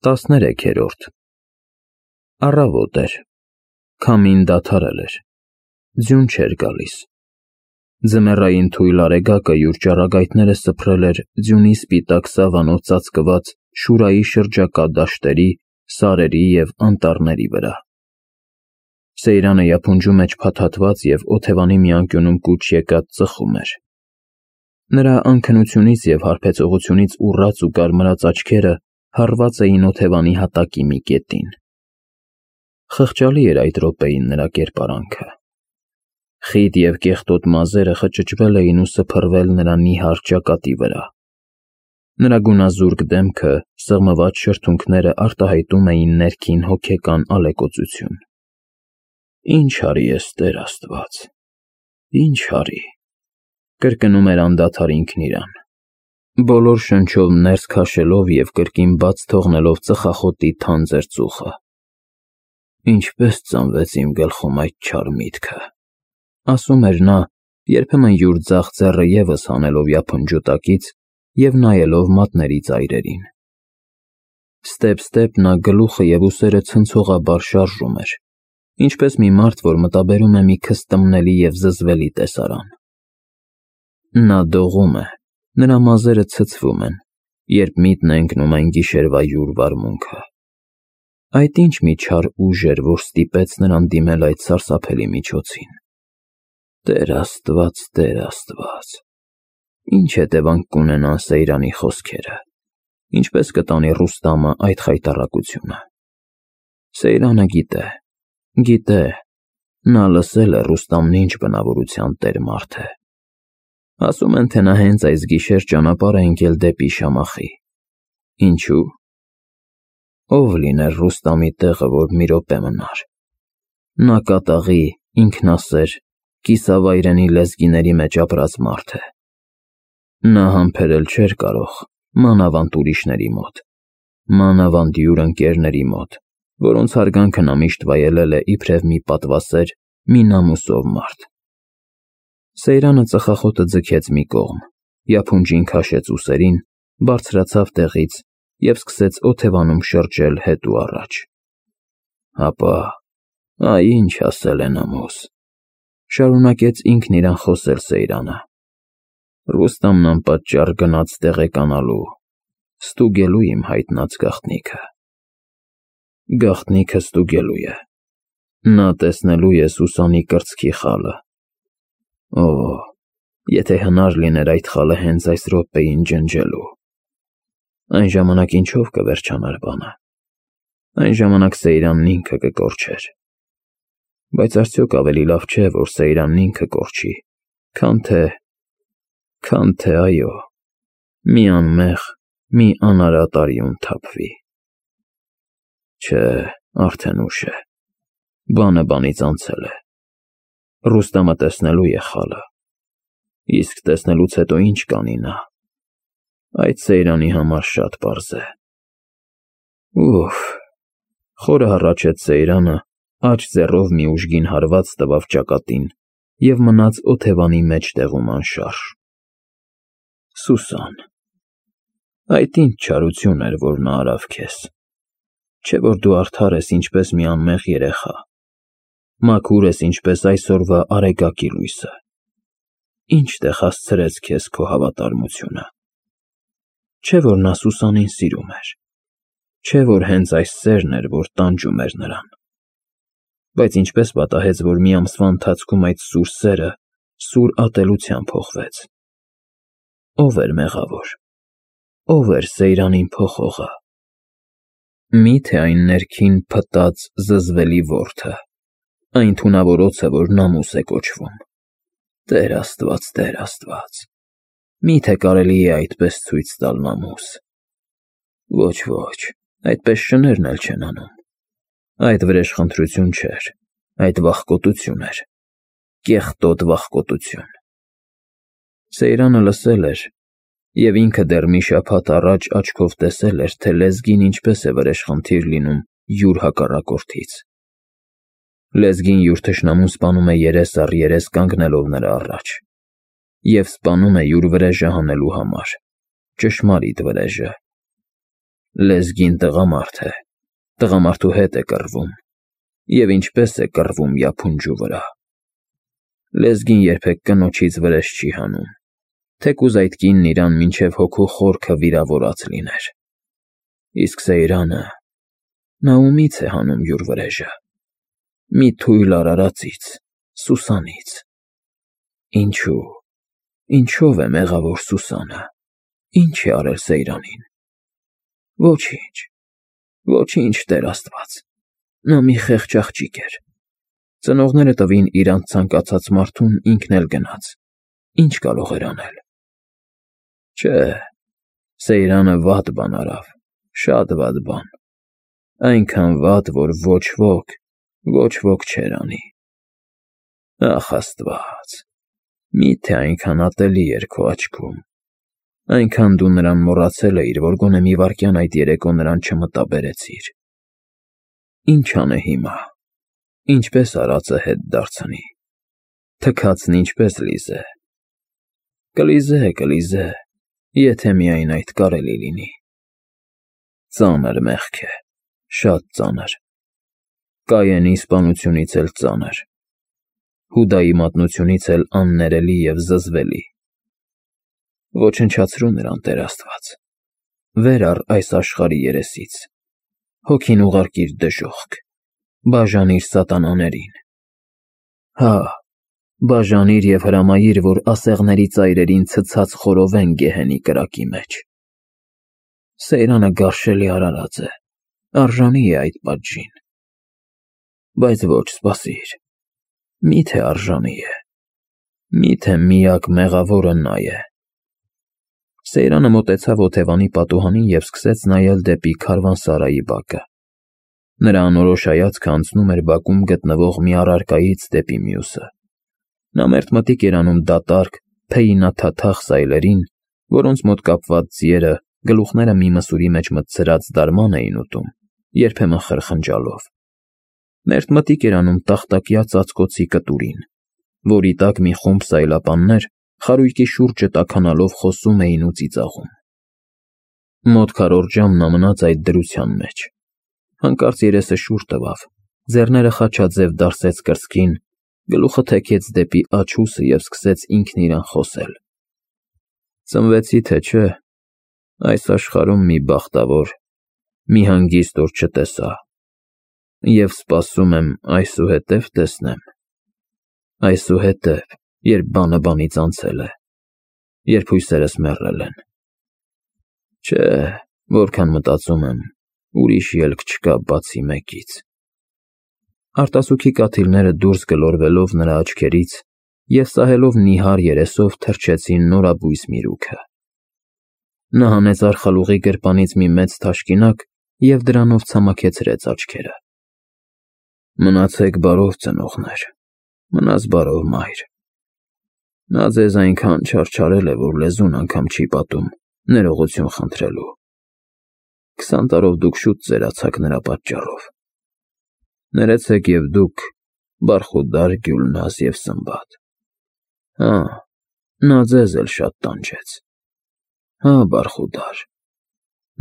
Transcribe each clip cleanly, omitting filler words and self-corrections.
13-րդ Առավոտ էր, քամին դադարել էր, ձյուն չէր գալիս, ձմեռային թույլ արեգակը յուր ճառագայթները սփռել էր ձյունի սպիտակ սավանով ծածկված Շուրայի շրջակա դաշտերի, սարերի և անտառների վրա։ Սեյրանը յափունջու մեջ փաթաթված և օթևանի մի անկյունում կուչ եկած ծխում էր։ Նրա անքնությունից և հարբեցողությունից ուռած ու կարմրած աչքերը հառված էին օթևանի հատակի մի կետին։ Խղճալի էր այդ րոպեին նրա կերպարանքը։ Խիտ և կեղտոտ մազերը խճճվել էին ու սփռվել նրա նիհար ճակատի վրա։ Նրա գունազուրկ դեմքը, սղմված շրթունքները արտահայտում էին ներքին հոգեկան ալեկոծություն։ «Ինչ արի ես, Տեր Աստված, ինչ արի», կրկնում էր անդադար ինքն իրան, բոլոր շնչով ներս քաշելով և կրկին բաց թողնելով ծխախոտի թանձր ծուխը։ «Ինչպե՞ս ծնվեց իմ գլխում այդ չար միտքը», ասում էր նա, երբեմն յուր ձախ ձեռը ևս հանելով յափնջու տակից և նայելով մատների ծայրերին։ Ստեպ-ստեպ նա գլուխը և ուսերը ցնցողաբար շարժում էր, ինչպես մի մարդ, որ մտաբերում է մի քստմնելի և զզվելի տեսարան։ Նա դողում է, նրա մազերը ցցվում են, երբ միտն է ընկնում այն գիշերվա յուր վարմունքը։ Այդ ինչ մի չար ուժ էր, որ ստիպեց նրան դիմել այդ սարսափելի միջոցին։ Տեր Աստված, ինչ հետևանք կունենան Սեյրանի խոսքերը, ինչպես կտանի Ռուստամը այդ խայտառակությունը։ Սեյրանը գիտե, նա լսել է Ռուստամն ինչ բնավորության տեր մարդ է։ Ասում են, թե նա հենց այս գիշեր ճանապարհ է ընկել դեպի Շամախի։ Ինչու՞։ Ով լիներ Ռուստամի տեղը, որ մի րոպե մնար։ Նա կատաղի, ինքնասեր, կիսավայրենի լեզգիների մեջ ապրած մարդ է։ Նա համբերել չէր կարող, մանավանդ ուրիշների մոտ, մանավանդ յուր ընկերների մոտ, որոնց հարգանքը նա միշտ վայելել է իբրև մի պատվասեր, մի նամուսով մարդ։ Սեյրանը ծխախոտը ձգեց մի կողմ, յափունջին քաշեց ուսերին, բարձրացավ տեղից և սկսեց օթևանում շրջել հետ ու առաջ։ Հապա, այ ինչ ասել է նամուս, շարունակեց ինքն իրան խոսել Սեյրանը։ Ռուստամն անպատճառ գնաց տեղեկանալու, ստուգելու իմ հայտնած գաղտնիքը։ Գաղտնիքը ստուգելու է։ Նա տեսնելու է Սուսանի կրծքի խալը։ Օ, եթե հնար լիներ այդ խալը հենց այս րոպեին ջնջելու։ Այն ժամանակ ինչով կվերջանար բանը։ Այն ժամանակ Սեյրանն ինքը կկորչեր։ Բայց արդյոք ավելի լավ չէ, որ Սեյրանն ինքը կորչի, քան թե այո, մի անմեղ, մի անարատ արյուն թափվի։ Չէ, արդեն ուշ է, բանը բանից անցել է։ Ռուստամը տեսնելու է խալը, իսկ տեսնելուց հետո ինչ կանի նա։ Այդ Սեյրանի համար շատ պարզ է։ Ուֆ, խորը հառաչեց Սեյրանը, աջ ձեռով մի ուժգին հարված տվավ ճակատին և մնաց օթևանի մեջտեղում անշարժ։ Սուսան, այդ ինչ չարություն էր, որ նա արավ քեզ։ Չէ՞ որ դու արդար ես ինչպես մի անմեղ երեխա, մաքուր ես ինչպես այսօրվա արեգակի լույսը։ Ինչ տեղ հասցրեց քեզ քո հավատարմությունը։ Չէ՞ որ նա Սուսանին սիրում էր։ Չէ՞ որ հենց այս սերն էր, որ տանջում էր նրան։ Բայց ինչպես պատահեց, որ մի ամսվա ընթացքում այդ սուր սերը սուր ատելության փոխվեց։ Ո՞վ էր մեղավոր։ Ո՞վ էր Սեյրանին փոխողը։ Մի՞թե այն ներքին փտած, զզվելի որդը, այն թունավոր օձը, որ նամուս է կոչվում։ Տեր Աստված, մի՞թե կարելի է այդպես ցույց տալ նամուս։ Ոչ, այդպես շներն էլ չեն անում։ Այդ վրեժխնդրություն չէր, այդ վախկոտություն էր, կեղտոտ վախկոտություն։ Սեյրանը լսել էր, և ինքը դեռ մի շաբաթ առաջ աչքով տեսել էր, թե լեզգին ինչպես է վրեժխնդիր լինում յուր հակառակորդից։ Լեզգին յուր թշնամուն սպանում է երես առ երես կանգնելով նրա առաջ, և սպանում է յուր վրեժը հանելու համար, ճշմարիտ վրեժը։ Լեզգին տղամարդ է, տղամարդու հետ է կռվում, և ինչպես է կռվում յափունջու վրա։ Լեզգին երբեք կնոջից վրեժ չի հանում, թեկուզ այդ կինն իրան մինչև հոգու խորքը վիրավորած լիներ։ Իսկ Սեյրանը, նա ումից է հանում յուր վրեժը։ Մի թույլ արարածից, Սուսանից։ Ինչու, ինչով է մեղավոր Սուսանը, ինչ է արել Սեյրանին։ Ոչինչ, ոչինչ, Տեր Աստված, նա մի խեղճ աղջիկ էր։ Ծնողները տվին իրանց ցանկացած մարդուն, ինքն էլ գնաց, ինչ կարող էր անել։ Չէ, Սեյրանը վատ բան արավ, շատ վատ բան, այնքան վատ, որ ոչ ոք չէր անի։ Ախ Աստված, միթե այնքան ատելի էր քո աչքում, այնքան դու նրան մոռացել էիր, որ գոնե մի վայրկյան այդ երեկո նրան չմտաբերեցիր։ Ինչ անե հիմա, ինչպես արածը հետ դարձնի, թքածն ինչպես լիզե։ Կլիզե, եթե միայն այդ կարելի լինի։ Ծանր մեղք է, շատ ծանր, Կայենի սպանությունից էլ ծանր, Հուդայի մատնությունից էլ աններելի և զզվելի։ Ոչնչացրու նրան, Տեր Աստված, վեր առ այս աշխարհի երեսից, հոգին ուղարկիր դժոխք, բաժանիր սատանաներին։ Հա, բաժանիր և հրամայիր, որ ասեղների ծայրերին ցցած խորովեն գեհենի կրակի մեջ։ Սեյրանը գարշելի արարած է, արժանի է այդ պատժին։ Բայց ոչ, սպասիր, միթե արժանի է, միթե միակ մեղավորը նա է։ Սեյրանը մոտեցավ օթևանի պատուհանին և սկսեց նայել դեպի քարվանսարայի բակը։ Նրա անորոշ հայացքը անցնում էր բակում գտնվող մի առարկայից դեպի մյուսը։ Նա մերթմտիկ էր անում դատարկ, փեյինաթաթախ սայլերին, որոնց մոտ կապված ձիերը գլուխները մի մսուրի մեջ մտցրած դարման էին ուտում, երբեմն խրխնջալով։ Մերթմտիկ էր անում տախտակյա ծածկոցի կտուրին, որի տակ մի խումբ սայլապաններ խարույկի շուրջը տաքանալով խոսում էին ու ծիծաղում։ Մոտ քառորդ ժամ նա մնաց այդ դրության մեջ։ Հանկարծ երեսը շուռ տվավ, ձեռները խաչաձև դարսեց կրծքին, գլուխը թեքեց դեպի աջ ուսը և սկսեց ինքն իրան խոսել։ Ծնվեցի, թե չէ, այս աշխարհում մի բախտավոր, մի հանգիստ օր չտեսա, և սպասում եմ այսուհետև տեսնեմ, այսուհետև, երբ բանը բանից անցել է, երբ հույսերս մեռել են։ Չէ, որքան մտածում եմ, ուրիշ ելք չկա բացի մեկից։ Արտասուքի կաթիլները դուրս գլորվելով նրա աչքերից և սահելով նիհար երեսով թռչեցին նորաբույս միրուքը։ Նա հանեց արխալուղի գրպանից մի մեծ թաշկինակ և դրանով ցամաքեցրեց աչքերը։ Մնացեք բարով, ծնողներ, մնաս բարով, մայր։ Նա ձեզ այնքան չարչարել է, որ լեզուն անգամ չի պատում ներողություն խնդրելու։ 20 տարով դուք շուտ ծերացաք նրա պատճառով։ Ներեցեք և դուք, Բարխուդար, Գյուլնազ և Սմբատ։ Հա, նա ձեզ էլ շատ տանջեց։ Հա, Բարխուդար,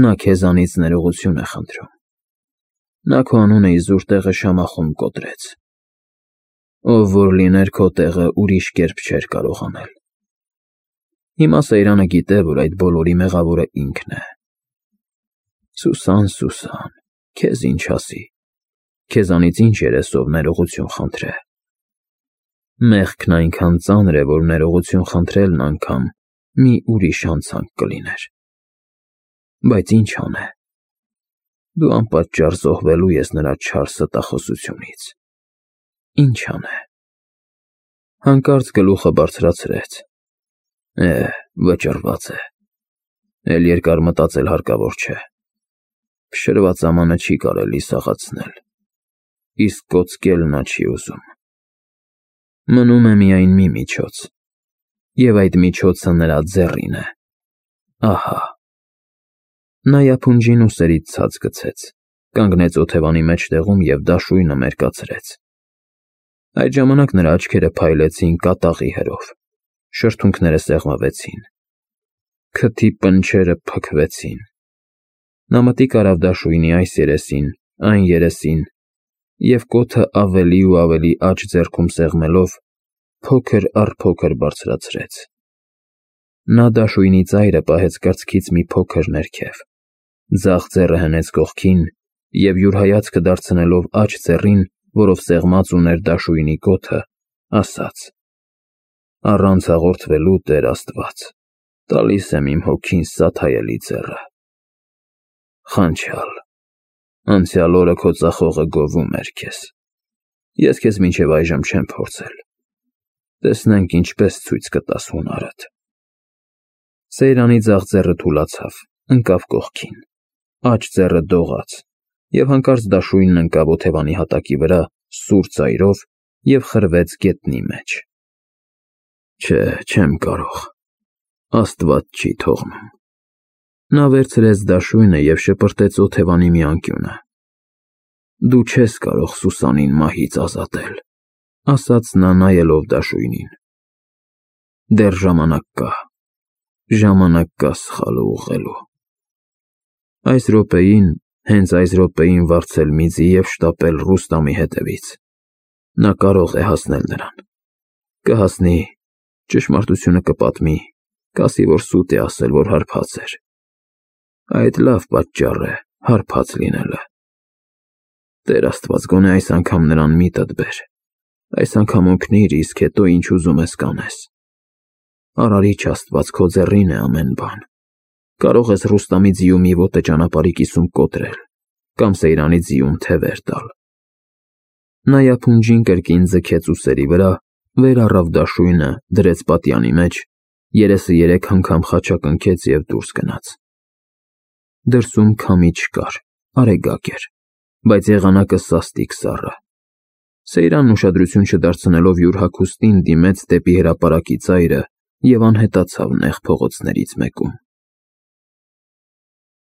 նա քեզանից ներողություն է խնդրում։ Նա քո անունը իզուր տեղը Շամախում կոտրեց։ Ով որ լիներ քո տեղը, ուրիշ կերպ չէր կարող անել։ Հիմա Սեյրանը գիտե, որ այդ բոլորի մեղավորը ինքն է։ Սուսան, քեզ ինչ ասի, քեզանից ինչ երեսով ներողություն խնդրե։ Մեղքն այնքան ծանր է, որ ներողություն խնդրելն անգամ մի ուրիշ հանցանք կլիներ։ Բայց ինչ անե։ Դու անպատճառ զոհվելու ես նրա չար ստախոսությունից։ Ինչ անե։ Հանկարծ գլուխը բարձրացրեց։ Վճռված է։ Էլ երկար մտածել հարկավոր չէ։ Փշրված ամանը չի կարելի սաղացնել, իսկ կոծկել նա չի ուզում։ Մնում է միայն մի միջոց, և այդ միջոցը նրա ձեռին է։ Ահա։ Նա յափունջին ուսերից ցած գցեց, կանգնեց օթևանի մեջտեղում և դաշույնը մերկացրեց։ Այդ ժամանակ նրա աչքերը փայլեցին կատաղի հրով, շրթունքները սեղմվեցին, քթի պնչերը փքվեցին, Նա մտիկ արավ դաշույնի այս երեսին, այն երեսին, և կոթը ավելի ու ավելի աջ ձեռքում սեղմելով, փոքր առ փոքր բարձրացրեց։ Նա դաշույնի ծայրը պահեց կրծքից մի փոքր ներքև, ձախ ձեռը հնեց կողքին և յուր հայացքը դարձնելով աջ ձեռին, որով սեղմած ուներ դաշույնի կոթը, ասաց. «Առանց հաղորդվելու, Տեր Աստված, տալիս եմ իմ հոգին սաթայելի ձեռը։ Խանչյալ, անցյալ օրը քո ծախողը գովում էր քեզ։ Ես քեզ մինչև այժմ չեմ փորձել։ Տեսնենք ինչպես ցույց կտաս հունարդ»։ Սեյրանի ձախ ձեռը թուլացավ, ընկավ կողքին, աջ ձեռը դողաց, և հանկարծ դաշույնն ընկավ օթևանի հատակի վրա սուր ծայրով և խրվեց գետնի մեջ։ Չէ, չեմ կարող, Աստված չի թողնում։ Նա վերցրեց դաշույնը և շպրտեց օթևանի մի անկյունը։ Դու չես կարող Սուսանին մահից ազատել, ասաց նա նայելով դաշույնին։ Դեռ ժամանակ կա, ժամանակ կա սխալը ուղղելու։ Այս րոպեին, հենց այս րոպեին վարձել մի ձի և շտապել Ռուստամի հետևից։ Նա կարող է հասնել նրան։ Կհասնի, ճշմարտությունը կպատմի, կասի, որ սուտ է ասել, որ հարբած էր։ Այդ լավ պատճառ է, հարբած լինելը։ Տեր Աստված, գոնե այս անգամ նրան միտդ բեր։ Այս անգամ օգնիր, իսկ հետո ինչ ուզում ես կանես։ Արարիչ Աստված, քո ձեռին է ամեն բան։ Կարող ես Ռուստամի ձիու մի ոտը ճանապարհի կիսում կոտրել, կամ Սեյրանի ձիուն թևեր տալ։ Նա յափունջին կրկին ձգեց ուսերի վրա, վեր առավ դաշույնը, դրեց պատյանի մեջ, երեսը 3 անգամ խաչակնքեց և դուրս գնաց։ Դրսում քամի չկար, արեգակ էր, բայց եղանակը սաստիկ սառը։ Սեյրանն ուշադրություն չդարձնելով յուր հագուստին դիմեց դեպի հրապարակի ծայրը և անհետացավ նեղ փողոցներից մեկում։